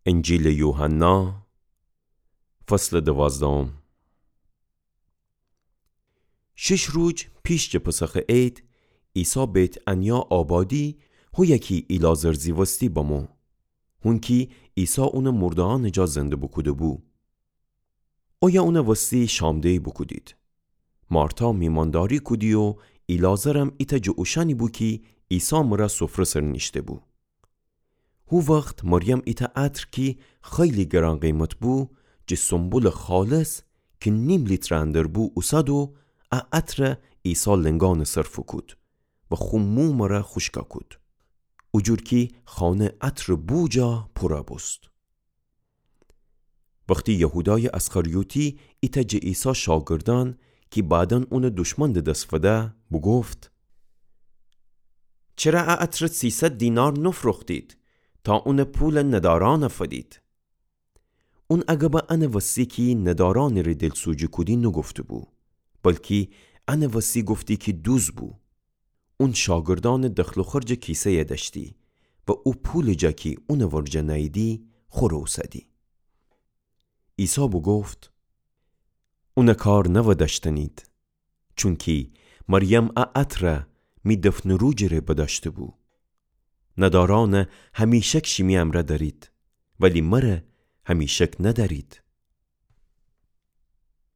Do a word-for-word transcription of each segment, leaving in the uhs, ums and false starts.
انجیلٚ یوحنا، فصلٚ دوازدهم. شیش روج پیش جٚه پسخٚ عید، عیسی بیت‌عنیا آبادی، هویه کی ایلعازر زیوستی بمو. هونکی عیسی اونٚ مرده‌یأنٚ جا زنده بوکوده‌بو. اویه اونٚ وستی شامده‌یی بوکودید. مارتا میمانداری کودی و ایلعازرم ایتأ جٚه اوشأنی بو کی عیسی مرأ سفره سر نیشته‌بو. هو وخت مریم ایتأ عطر کی خیلی گران قیمت بو، جٚه سنبلٚ خالص کی نیم لیترٚ اندر بو، اوسد و ا عطر عیسی لنگأنٚ سر فوکود و خو مو مرأ خوشکَ کود، اوجور کی خانه عطرٚ بو جا پورَ بوست. وختی یهودایٚ اسخریوطی ایتأ جٚه عیسی شاگردأن کی بعداً اونٚ دشمن د دس فده بوگفت: چره ا عطر سیصد دینار نفروختید تا اونٚ پولٚ ندارأنَ فدید؟ اون اَ گبَ انٚ وستی کی ندارأنٚ ره دلسوجی کودی نوگفته‌بو، بلکی انٚ وستی گفتی کی دوز بو. اون شاگردأنٚ دخل و خرجٚ کیسه‌یَ دأشتی و او پولٚ جا کی اونٚ ورجه نأییدی، خوره اوسدی. عیسی بوگفت: اونٚ کار نوأ دأشتنید، چونکی مریم ا عطر می دفنٚ روجٚ ره بدأشته‌بو. ندارأن همیشک شیمی امرأ دأرید، ولی مره همیشک ندأرید.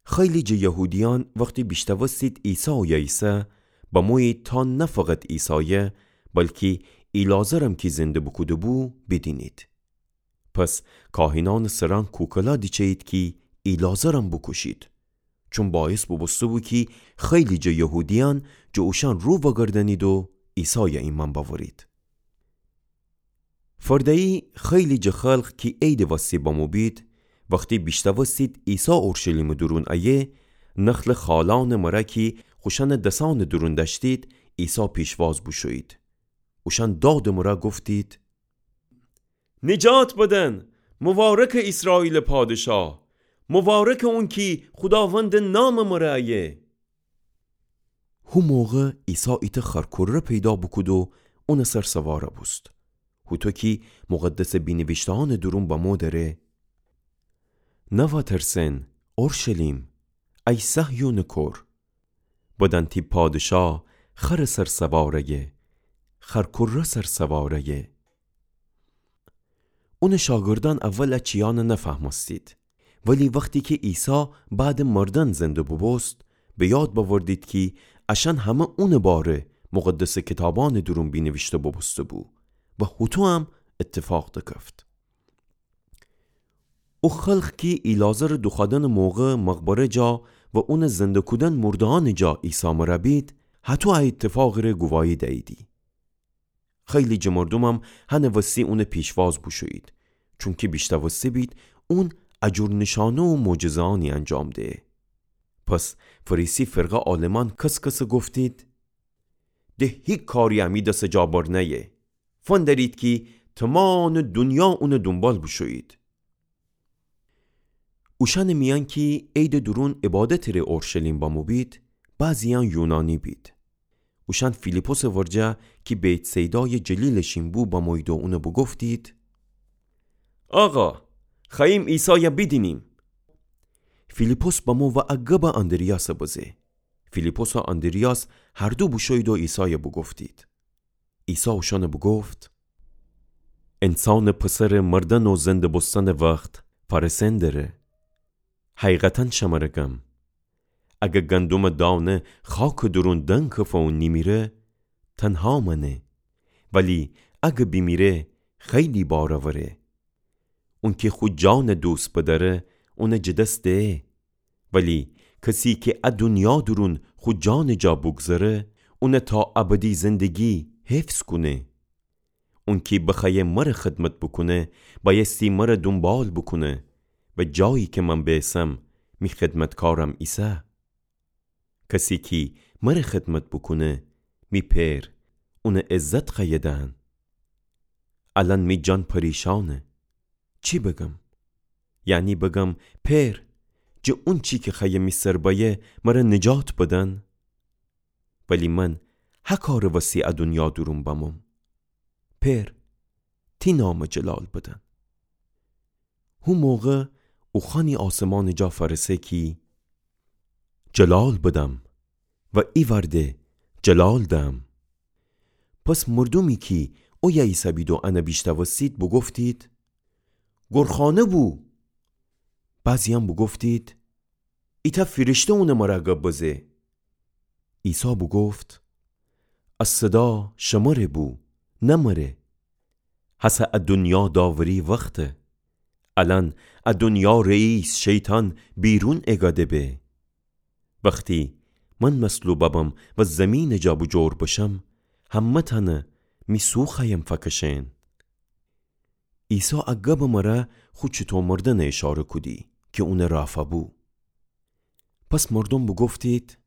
خیلی جٚه یهودیأن وختی بیشتوستید عیسی اویه ایسه، بمویید تا نه فقط عیسایَ، بلکی ایلعازرم کی زنده بوکوده‌بو، بیدینید. پس کاهنأنٚ سرأن کوکلا دیچه‌یید کی ایلعازرم بوکوشید، چون باعث بوبوسته‌بو کی خیلی جٚه یهودیأن جٚه اوشأن رو وأگردأنید و عیسایَ ایمأن بأورید. فرده‌یی خیلی جٚه خلق کی عیدٚ وستی بمو بید، وختی بیشتوستید عیسی اورشلیمٚ دورون ایه، نخلٚ خالأنٚ مرأ کی خوشأنٚ دسأنٚ دورون دأشتید، عیسی پیشواز بوشویید. اوشأن دادٚ مرأ گفتید: نجات بدن، مبارکٚ ایسرائیلٚ پادشاه، مبارکٚ اونکی خوداوندٚ نامٚ مرأ ایه. هو موقع عیسی ایتأ خرکره پیدا بوکود و اونٚ سر سوارَ بوست، هوطو کی مقدسٚ بینیویشته‌أنٚ دورون بمو دره: نوأ ترسئن، اورشلیم، ای صهیونٚ کور، بدأن تی پادشاه خرٚ سر سوار ایه، خرکره سر سوار ایه. اونٚ شاگردأن اول ا چیأنَ نفهمستید، ولی وختی کی عیسی بعدٚ مردن زنده بوبوست، به یاد بأوردید کی اشأن همه اونٚ باره مقدسٚ کیتابأنٚ دورون بینیویشته بوبوسته‌بو و هوطویم ایتفاق دکفت. او خلق کی ایلعازرٚ دوخوأدنٚ موقع مقبره جا و اونٚ زنده کودن مرده‌أنٚ جا عیسی مرأ بید، هطو ا ایتفاقٚ ره گواهی دییدی. خیلی جٚه مردومم هنٚ وستی اونٚ پیشواز بوشویید، چونکی بیشتوسته بید اون ا جور نیشأنه و معجزه‌أنی انجام دهه. پس فریسی فرقه عالمأن کس‌کسٚ گفتید: ده هیکاری امی دسٚ جا بر نأیه. فندرید کی تومانٚ دونیا اونٚ دونبال بوشویید. اوشأنٚ میأن کی عیدٚ دورون عبادتٚ ره اورشلیم بمو بید، بعضی‌یأن یونانی بید. اوشأن فیلیپسٚ ورجه کی بیت‌صیدایٚ جلیلٚ شین بو بمویید و اونَ بوگفتید: آقا، خوأییم عیسایَ بیدینیم. فیلیپس بمو و ا گبَ آندریاسَ بزه. فیلیپس و آندریاس هر دو بوشویید و عیسایَ بوگفتید. عیسی اوشأنَ بوگفت: انسانٚ پسرٚ مردن و زنده بوستنٚ وخت فأرسئن دره. حقیقتاً شمره گم، اگه گندمٚ دانه خاکٚ دورون دنکفه و نیمیره، تنها مأنه، ولی اگه بیمیره، خیلی بار اوره. اونکی خو جانَ دوست بدأره، اونَ جٚه دس دهه. ولی کسی کی ا دونیا دورون خو جانٚ جا بوگذره، اونَ تا ابدی زندگی حفظ کونه. اونکی بخوأیه مرَ خدمت بوکونه، بأیستی مرَ دونبال بوکونه و جایی کی من بئسم، می خدمتکارم ایسه. کسی کی مرَ خدمت بوکونه، می پئر اونَ عزت خوأیه دهن. الأن می جان پریشأنه. چی بگم؟ یعنی بگم: پئر، جٚه اونچی کی خوأیه می سر بأیه، مرَ نجات بدن؟ ولی من هه کارٚ وسی ا دونیا دورون بموم. پئر، تی نامَ جلال بدن. هو موقع اوخوأنی آسمانٚ جا فأرسه کی جلال بدم و ایوأرده جلال دم. پس مردومی کی اویه ایسهبید و انه بیشنوستید بوگفتید: گورخانه بو. بعضی‌یأن بوگفتید: ایتأ فیرشته اونٚ مره گب بزه. عیسی بوگفت: ا صدا شمره بو، نه مره. هسه ا دونیا داوری وخته. الأن ا دونیا رئیس شیطان بیرون ایگده به. وختی من مصلوب بم و زیمینٚ جا بوجور بشم، همه تأنه می سو خوأیم فکشئن. عیسی ا گبٚ مره خو چوطو مردنٚ اشاره کودی کی اونٚ رافا بو. پس مردوم بوگفتید: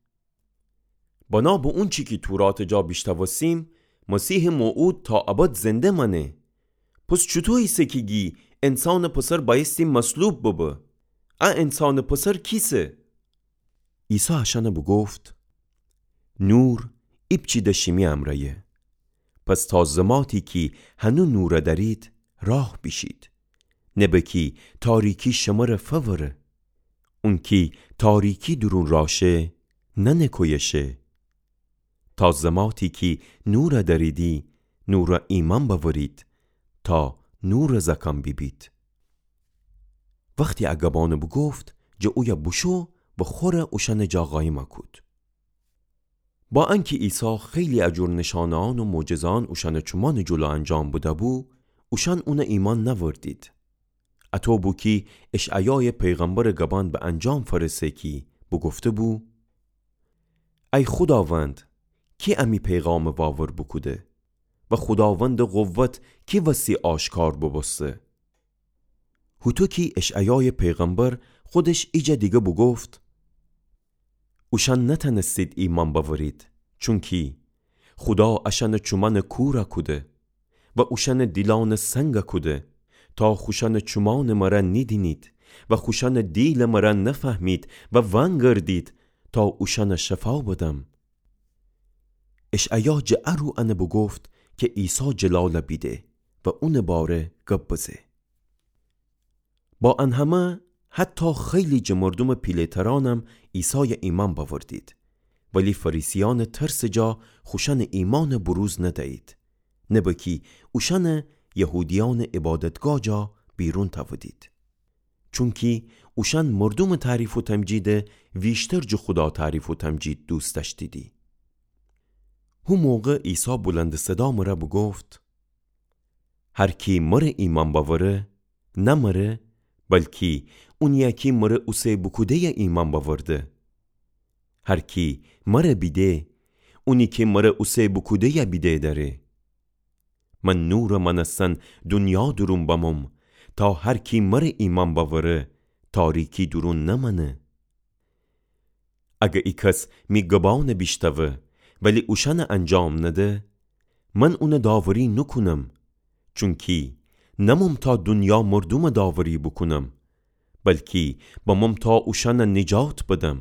بنا به اونچی کی توراتٚ جا بیشنوستیم، مسیحٚ موعود تا ابد زنده مأنه. پس چوطو ایسه کی گی انسانٚ پسر بأیستی مصلوب ببه؟ ا انسانٚ پسر کیسه؟ عیسی اشأنه بوگفت: نور ایپچی ده شیمی امرأیه. پس تا زماتی کی هنو نور دأرید، راه بیشید، نبه کی تاریکی شمره فوره. اونکی تاریکی دورون راه شه، نأنه کویه شه. تا زماتی کی نور دأریدی، نور ایمأن بأورید، تا نورٚ زأکأن بیبید. وختی ا گبأنه بوگفت، جٚه اویه بوشو و خوره اوشأنٚ جا قایم کود. با انکی عیسی خیلی ا جور نشانه‌یأن و معجزه‌یأن اوشأنٚ چومأنٚ جلو انجام بده‌بو، اوشأن اونه ایمأن نأوردید. اطو بو کی اشعیایٚ پیغمبرٚ گبأن به انجام فأرسه کی بوگفته‌بو: ای خوداوند، کی امی پیغامٚ واور بوکوده؟ و خوداوندٚ قوت کی وستی آشکار بوبوسته؟ هوطو کی اشعیایٚ پیغمبر خودش ایجا دیگه بوگفت: اوشأن نتأنستید ایمأن بأورید، چونکی خودا اشأنٚ چومأنٚ کور کوده و اوشأنٚ دیلأنٚ سنگ کوده، تا خوشأنٚ چومأنٚ مره نیدینید و خوشأنٚ دیلٚ مره نفهمید و ونگردید، تا اوشأنٚ شفا بدم. اشعیا جٚه ا رو انه بوگفت کی عیسی جلال بیده و اونٚ باره گب بزه. با ان همه، حتی خیلی جٚه مردومٚ پیله‌ترأنم عیسای ایمأن بأوردید، ولی فریسیأنٚ ترسٚ جا خوشأنٚ ایمأن بروز ندیید، نبه کی اوشأنه یهودیأنٚ عبادتگاه جا بیرون تأودید. چونکی اوشأن مردومٚ تعریف و تمجید ویشتر جٚه خودا تعریف و تمجید دوست دأشتیدی. هو موقع عیسی بلندٚ صدا مره بوگفت: هر کی مره ایمأن بأوره، نه مره، بلکی اونی کی مره اوسه بوکوده‌یه ایمأن بأورده. هر کی مره بیده، اونی کی مره اوسه بوکوده‌یه بیده دأره. من نورٚ مأنستن دونیا دورون بموم، تا هر کی مره ایمأن بأوره، تاریکی دورون نمأنه. اگه ایکس می گبأنه بیشنوه، ولی اوشأنه انجام نده، من اونه داوری نوکونم، چونکی نموم تا دونیا مردومه داوری بوکونم، بلکی بموم تا اوشأنه نجات بدم.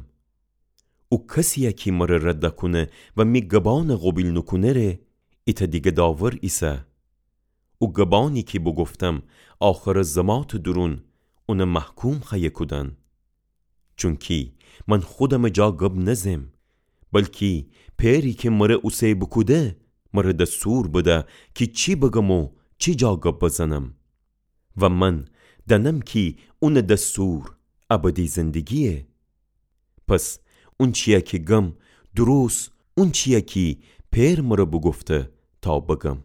او کسیی کی مره رد کونه و می گبأنه قوبیل نوکونه ره، ایتأ دیگه داور ایسه. او گبأنی کی بوگفتم، آخرٚ زماتٚ دورون اونه محکوم خوأیه کودن. چونکی من خودمٚ جا گب نزم، بلکی پئری کی مره اوسه بوکوده، مره دستور بده کی چی بگم و چی جا گب بزنم. و من دأنم کی اونٚ دستور ابدی زندگییه. پس اونچیی کی گم، دروست اونچییه کی پئر مره بوگفته تا بگم.